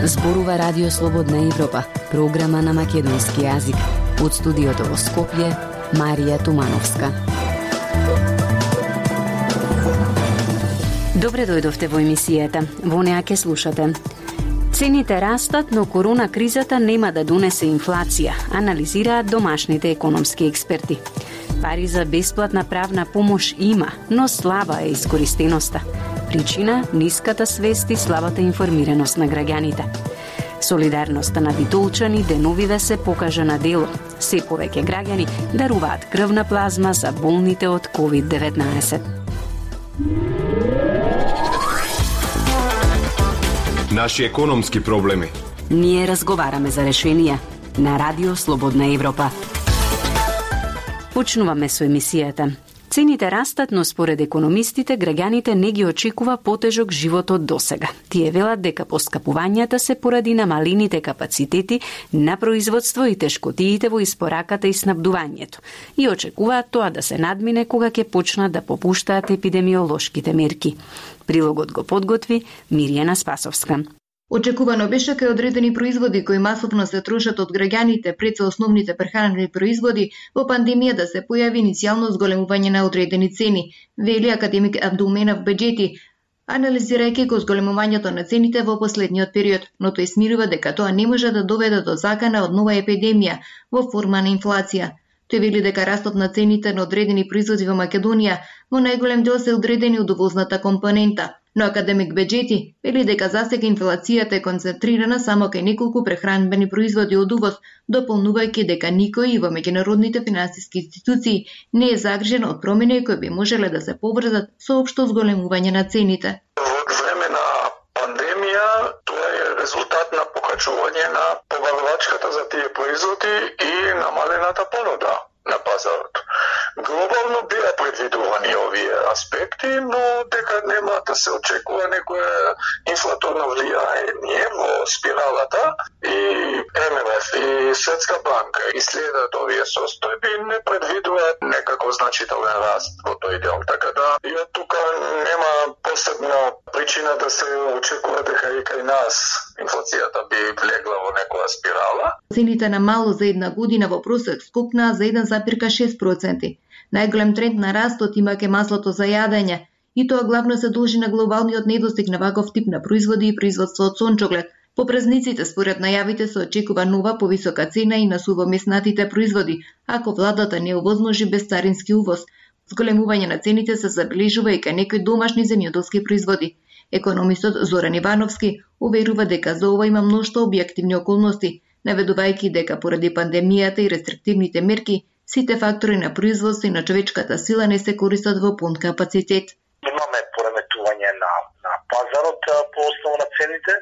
Зборува Радио Слободна Европа, програма на македонски јазик. Од студиото во Скопје, Марија Тумановска. Добре дојдовте во емисијата. Во неа ќе слушате. Цените растат, но корона кризата нема да донесе инфлација, анализираат домашните економски експерти. Пари за бесплатна правна помош има, но слаба е искористеноста. Причина – ниската свест и слабата информираност на граѓаните. Солидарноста на битолчани деновиве се покажа на дело. Се повеќе граѓани даруваат крвна плазма за болните од COVID-19. Наши економски проблеми. Ние разговараме за решенија на Радио Слободна Европа. Почнуваме со емисијата. Цените растат, но според економистите, граѓаните не ги очекува потежок живот од досега. Тие велат дека поскапувањата се поради намалените капацитети на производство и тешкотиите во испораката и снабдувањето. И очекуваат тоа да се надмине кога ќе почнат да попуштаат епидемиолошките мерки. Прилогот го подготви Мирјана Спасовска. Очекувано беше кај одредени производи кои масовно се трошат од граѓаните пред се основните прехранени производи во пандемија да се појави иницијално зголемување на одредени цени, вели академик Абдулменав Беџети, анализирајќи го зголемувањето на цените во последниот период, но тој смирува дека тоа не може да доведе до закана од нова епидемија во форма на инфлација. Тој вели дека растот на цените на одредени производи во Македонија во најголем дел се одредени од увозната компонента. Но академик Беџети вели дека засега инфлацијата е концентрирана само кај неколку прехранбени производи од увоз, дополнувајќи дека никој во меѓународните финансиски институции не е загрижен од промени кои би можеле да се поврзат со општо зголемување на цените. Во време на пандемија тоа е резултат на покачување на побавачката за тие производи и намалената понуда на пазарот. Глобално беа предвидувани овие аспекти, но дека нема да се очекува некое инфлаторно влијање во спиралата и ММФ и Светска банка и следат овие состојби не предвидуваат некако значителен раст во тој дел. Така да и од тука нема посебна причина да се очекува дека и кај нас инфлацијата би влегла во некоја спирала. Цените на мало за една година во просек скокнаа за 1,6%. Најголем тренд на растот има ке маслото за јадење, и тоа главно се должи на глобалниот недостиг на ваков тип на производи и производство од сончоглед. По празниците, според најавите, се очекува нова повисока цена и на сувомеснатите производи, ако владата не овозможи безцарински увоз. Зголемување на цените се забележува и кај некои домашни земјоделски производи. Економистот Зоран Ивановски уверува дека за ова има мношто објективни околности, наведувајќи дека поради пандемијата и рестриктивните мерки, сите фактори на производство и на човечката сила не се користат во пун капацитет. Имаме пореметување на пазарот по основа на цените,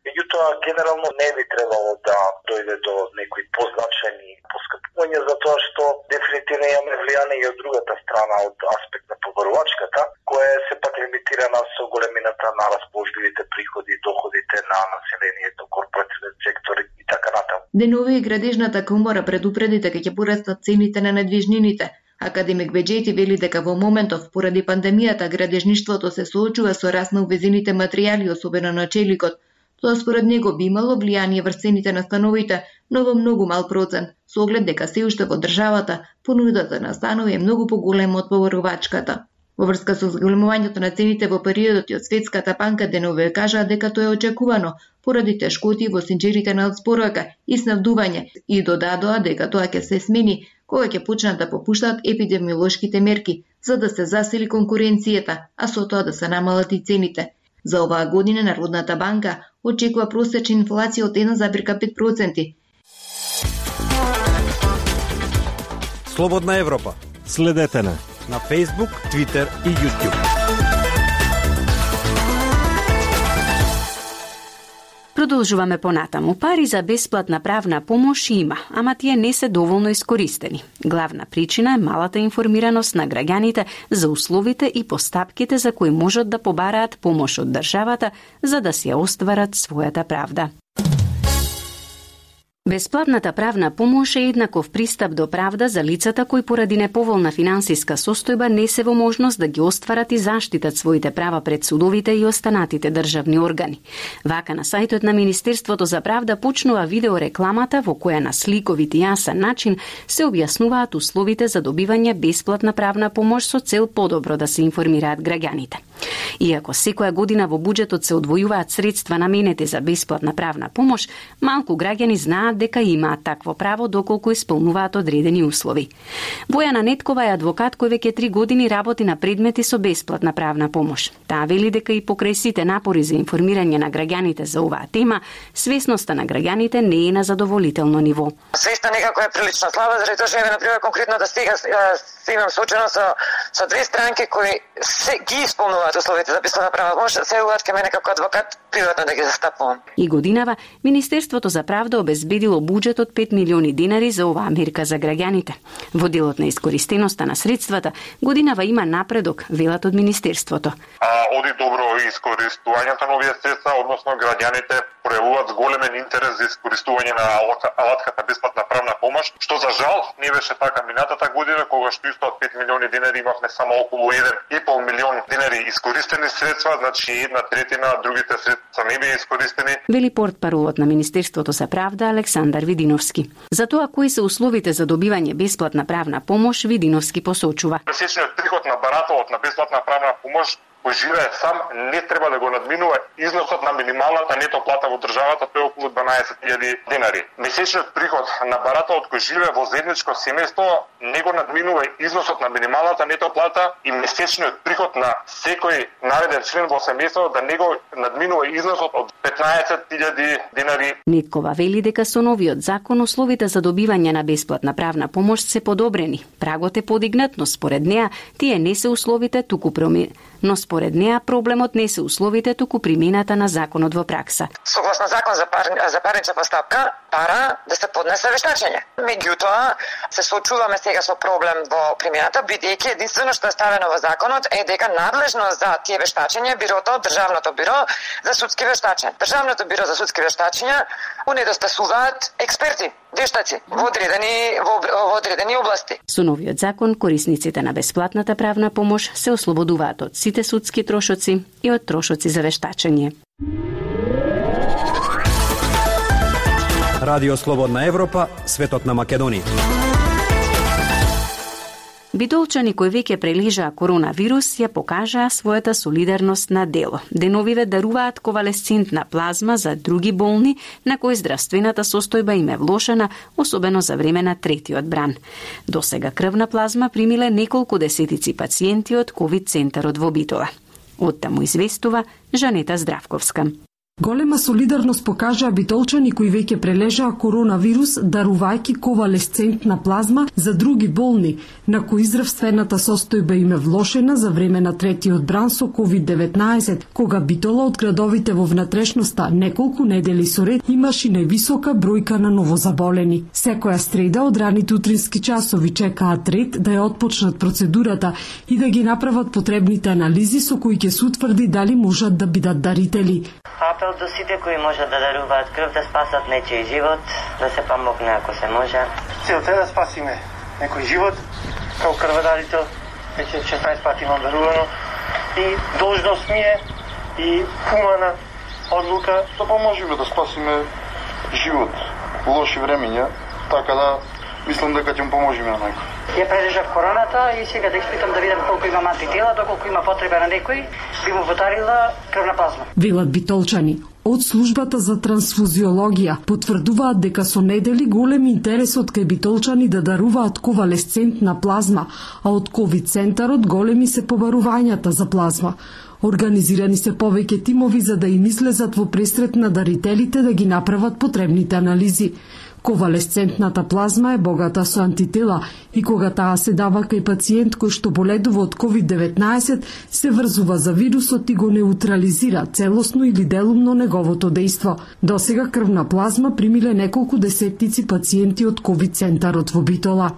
меѓутоа генерално не би требало да дојде до некои позначајни поскапувања, затоа што дефинитивно имаме влијание и од другата страна, од аспект на побарувачката, која е сепак лимитирана со големината на расположливите приходи и доходите на населението, корпоративен сектор и така натаму. Денови и градежната комора предупреди дека ќе порастат цените на недвижнините. Академик Беџети вели дека во моментов, поради пандемијата, градежништвото се соочува со раст на увезените материјали, особено на челикот. Тоа според него би имало влијание врз цените на становите, но во многу мал процент, со оглед дека се уште во државата понудата на станови е многу поголема од побарувачката. Во врска со зголемувањето на цените во периодот од Светската банка денове кажаа дека тоа е очекувано поради тешкоти во синџерите на спорока и снабдување и додадоа дека тоа ќе се смени кога ќе почнат да попуштаат епидемиолошките мерки за да се засили конкуренцијата, а со тоа да се намалат и цените. За оваа година Народната банка очекува просечна инфлација од 1,5%. Слободна Европа. Следете на Facebook, Twitter и YouTube. Продолжуваме понатаму. Пари за бесплатна правна помош има, ама тие не се доволно искористени. Главна причина е малата информираност на граѓаните за условите и постапките за кои можат да побараат помош од државата за да си ја остварат својата правда. Бесплатната правна помош е еднаков пристап до правда за лицата кои поради неповолна финансиска состојба не се во можност да ги остварат и заштитат своите права пред судовите и останатите државни органи. Вака на сајтот на Министерството за правда почнува видеорекламата во која на сликовит и јасен начин се објаснуваат условите за добивање бесплатна правна помош со цел подобро да се информираат граѓаните. Иако секоја година во буџетот се одвојуваат средства наменети за бесплатна правна помош, малку граѓани знаат дека имаат такво право доколку исполнуваат одредени услови. Бојана Неткова е адвокат кој веќе 3 години работи на предмети со бесплатна правна помош. Таа вели дека и покрај сите напори за информирање на граѓаните за оваа тема, свесноста на граѓаните не е на задоволително ниво. Свеста некако е прилично слаба, заради тоа што еве на пример конкретно да стига се имам соочено со две странки кои се ги исполнуваат условите за бесплатна правна помош, се уваат ке мене како адвокат приватно да ги застапувам. И годинава Министерството за правда обезбедило буџет од 5 милиони динари за оваа мерка за граѓаните. Во делот на искористеноста на средствата, годинава има напредок, велат од Министерството. Оди добро искористувањето на овие средства, односно граѓаните пројавуваат големен интерес за искористување на алатката бесплатна правна помош, што за жал не беше така минатата година, кога што исто од 5 милиони динари имавме само околу 1,5 милион динари искористени средства, значи 1/3, другите средства не беа искористени. Вели портпаролот на Министерството за правда Александар Видиновски. За тоа кои се условите за добивање бесплатна правна помош, Видиновски посочува. Месечниот приход на барателот на бесплатна правна помош кој живее сам не треба да го надминува износот на минималната нето плата во државата, тоа е околу 12.000 динари. Месечниот приход на барателот кој живее во заедничко семејство не го надминува износот на минималната нето плата и месечниот приход на секој наведен член во семејството да не го надминува износот од 15.000 динари. Неткова вели дека со новиот закон условите за добивање на бесплатна правна помош се подобрени. Прагот е подигнат, но според неа тие не се условите, туку според неа проблемот не се условите, туку примената на законот во пракса. Согласно закон за парнична постапка, пара да се поднесе вештачење. Меѓутоа, се соочуваме сега со проблем во примената, бидејќи единствено што е ставено во законот е дека надлежно за тие вештачења е бирото, Државното биро за судски вештачења. Државното биро за судски вештачења унедостасуваат експерти, вештаци во одредени области. Со новиот закон, корисниците на бесплатната правна помош се ослободуваат од сите судски трошоци и од трошоци за вештачење. Радио Слободна Европа, светот на Македонија. Битолчани кои веќе прележаа коронавирус ја покажаа својата солидарност на дело. Деновиве даруваат ковалесцентна плазма за други болни на кои здравствената состојба им е влошена, особено за време на третиот бран. Досега крвна плазма примиле неколку десетици пациенти од ковид центарот во Битола. Оттаму известува Жанета Здравковска. Голема солидарност покажаа битолчани кои веќе прележаа коронавирус, дарувајќи ковалесцентна плазма за други болни, на кои здравствената состојба им е влошена за време на третиот бран со COVID-19, кога Битола од градовите во внатрешноста неколку недели со ред имаше највисока бројка на новозаболени. Секоја среда од раните утрински часови чекаат ред да ја отпочнат процедурата и да ги направат потребните анализи со кои ќе се утврди дали можат да бидат дарители. Апел до сите кои можат да даруваат крв да спасат нечиј живот, да се помогне ако се може. Целта е да спасиме некој живот, како крводарител, веќе 16 пати имам дарувано и должност ми е и хумана одлука да поможеме да спасиме живот во лоши времења, така да мислам дека ќе му поможеме на некој. Ја прележав короната и сега да испитам да видам колку има антитела, доколку има потреба на некој, би му водарила крвна плазма. Велат битолчани. Од службата за трансфузиологија потврдуваат дека со недели голем интересот кај битолчани да даруваат ковалесцентна плазма, а од ковид центарот големи се побарувањата за плазма. Организирани се повеќе тимови за да им излезат во пресрет на дарителите да ги направат потребните анализи. Ковалесцентната плазма е богата со антитела и кога таа се дава кај пациент кој што боледува од COVID-19, се врзува за вирусот и го неутрализира целосно или делумно неговото дејство. Досега крвна плазма примиле неколку десеттици пациенти од ковид центарот во Битола.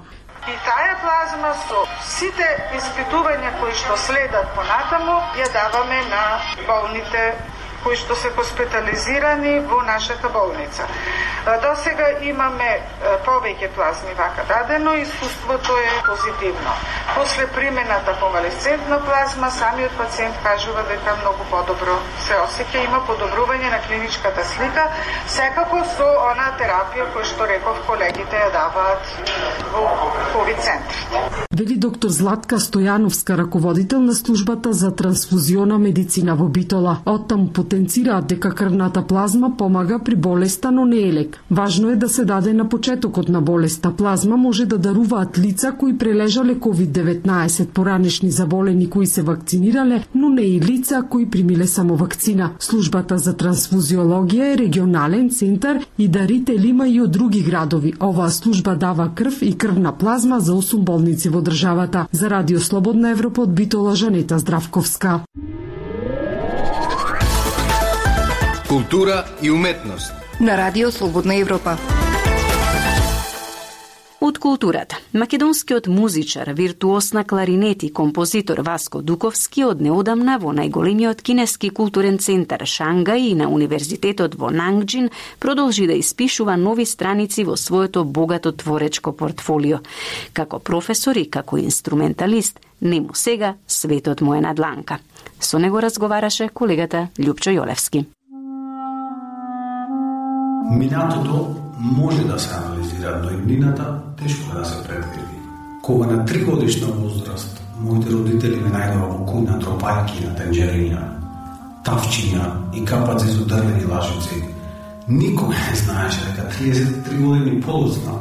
И таа плазма со сите испитувања кои што следат понатаму ја даваме на болните кои што се хоспитализирани во нашата болница. До сега имаме повеќе плазми вака дадено, искуството е позитивно. После примената конвалесцентна плазма, самиот пациент кажува дека многу подобро се осеќа, има подобрување на клиничката слика, секако со она терапија која што реков колегите ја даваат во ковид центрите. Вели доктор Златка Стојановска, раководител на службата за трансфузиона медицина во Битола. Оттам потенцираат дека крвната плазма помага при болеста, но не е лек. Важно е да се даде на почетокот на болеста. Плазма може да даруваат лица кои прележале COVID-19, поранешни заболени кои се вакцинирале, но не и лица кои примиле само вакцина. Службата за трансфузиологија е регионален центар и дарители има и од други градови. Оваа служба дава крв и крвна плазма за 8 болници во државата. За Радио Слободна Европа од Битола, Жанета Здравковска. Култура и уметност на Радио Слободна Европа. Од културата. Македонскиот музичар, виртуоз на кларинет и композитор Васко Дуковски од неодамна во најголемиот кинески културен центар Шангај и на Универзитетот во Нангџин продолжи да испишува нови страници во своето богато творечко портфолио. Како професор и како инструменталист, нему сега светот му е на дланка. Со него разговараше колегата Љупчо Јолевски. Минатото може да се анализира, но иднината тешко да се предвиди. Кога на 3 годишна возраст моите родители ме најдоа во кујна тропајки на тенџерина, тавчиња и капаци со дрвени лажици, никој не знаеше дека 33 години подоцна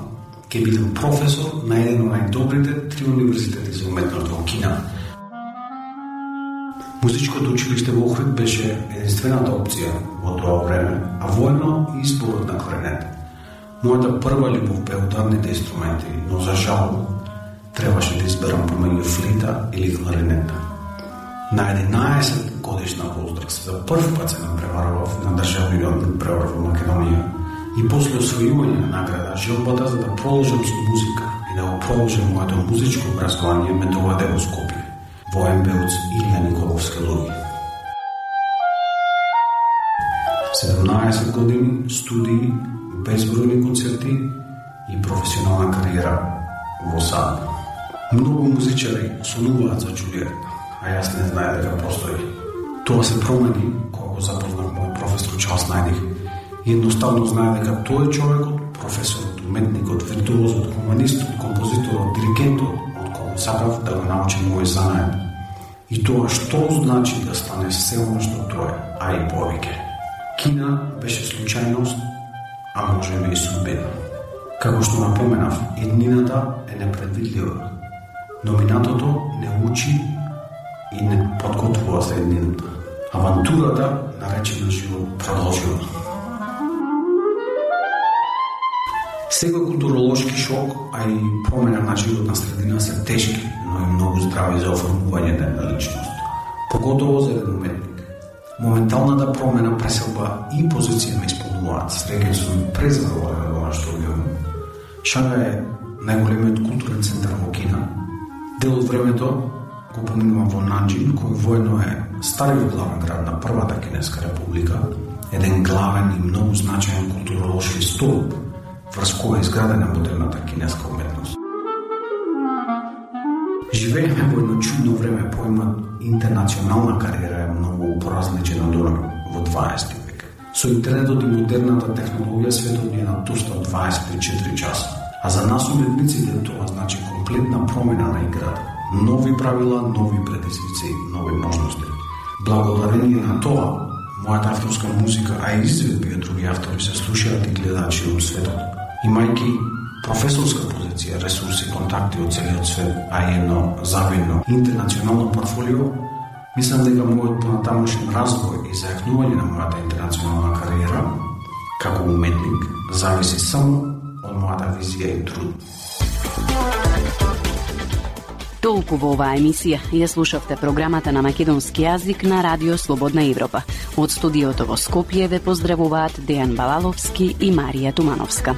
ќе бидам професор на еден од најдобрите 3 универзитети за уметност во Кина. Музичкото училиште во Охрид беше единствената опција во тоа време, а воедно и изборот на кларинет. Мојата прва љубов бе ударните инструменти, но за жал требаше да изберам помеѓу флита или кларинета. На 11 годишна возраст за прв пат се напреварував на државниот превар во Македонија и после освојување на награда желбата за да продолжам со музика и да го продолжам моето музичко образование ме доведе во Скопје, во МБУЦ Илија Николовска луѓе. 17 години студии, безбројни концерти и професионална кариера во САД. Многу музичари сонуваат за Џулиет, а јас не знае дека постои. Тоа се промени кога го запознав мој професор Чарлс Најдих и едноставно знае дека тој е човекот, професорот, уметникот, виртуозот, хуманистот, композиторот, диригентот, од кого сакав да го научам мој занает. И тоа што значи да стане се она што тоа е, а и повеќе. Кина беше случајност, а може би и судбина. Како што напоменав, иднината е непредвидлива, но минатото не учи и не подготвува за иднината. Авантурата, наречена живот, продолжува. Секој културолошки шок, а и промена на животна средина се тешки, но и многу здрави за оформување на една личност. Поготово за еден уметник. Моменталната промена преселба и позиција ме исполнуваат. Среќен сум презадоволен во нашето регион. Шангај е најголемиот културен центар во Кина. Дел од времето го поминувам во Нанџин, кој воедно е стариот главен град на Првата Кинеска република, еден главен и многу значаен културолошки столб, врз кој е изградена модерната кинеска уметност. Живееме во едно чудно време, поимат интернационална кариера е многу поразличен од во 20 век. Со интернетот и модерната технологија светот ни е натуснат 24 часа. А за нас уметниците тоа значи комплетна промена на играта. Нови правила, нови предизвици, нови можности. Благодарение на тоа, мојата авторска музика, а и изведби од други автори се слушаат и гледаат широм светот. Имајќи професорска позиција, ресурси, контакти од целиот свет, а и едно завидно интернационално портфолио, мислам дека мојот понатамошен развој и зајакнување на мојата интернационална кариера како уметник зависи само од мојата визија и труд. Толку во оваа емисија ја слушавте програмата на македонски јазик на Радио Слободна Европа. Од студиото во Скопје ве поздравуваат Дејан Балаловски и Марија Тумановска.